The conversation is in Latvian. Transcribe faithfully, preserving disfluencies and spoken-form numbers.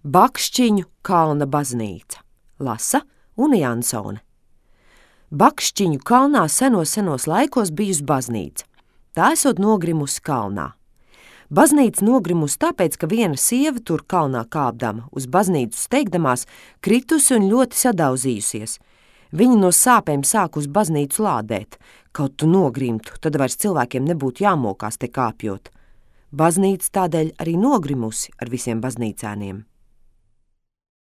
Bakšķiņu kalna baznīca. Lasa Una Jansone. Bakšķiņu kalnā senos senos laikos bijusi baznīca. Tā esot nogrimusi kalnā. Baznīca nogrimusi tāpēc, ka viena sieva tur kalnā kāpdama, uz baznīcu steigdamās, kritusi un ļoti sadauzījusies. Viņa no sāpēm sāk uz baznīcu lādēt. Kaut tu nogrimtu, tad vairs cilvēkiem nebūtu jāmokās te kāpjot. Baznīca tādēļ arī nogrimusi ar visiem baznīcēniem.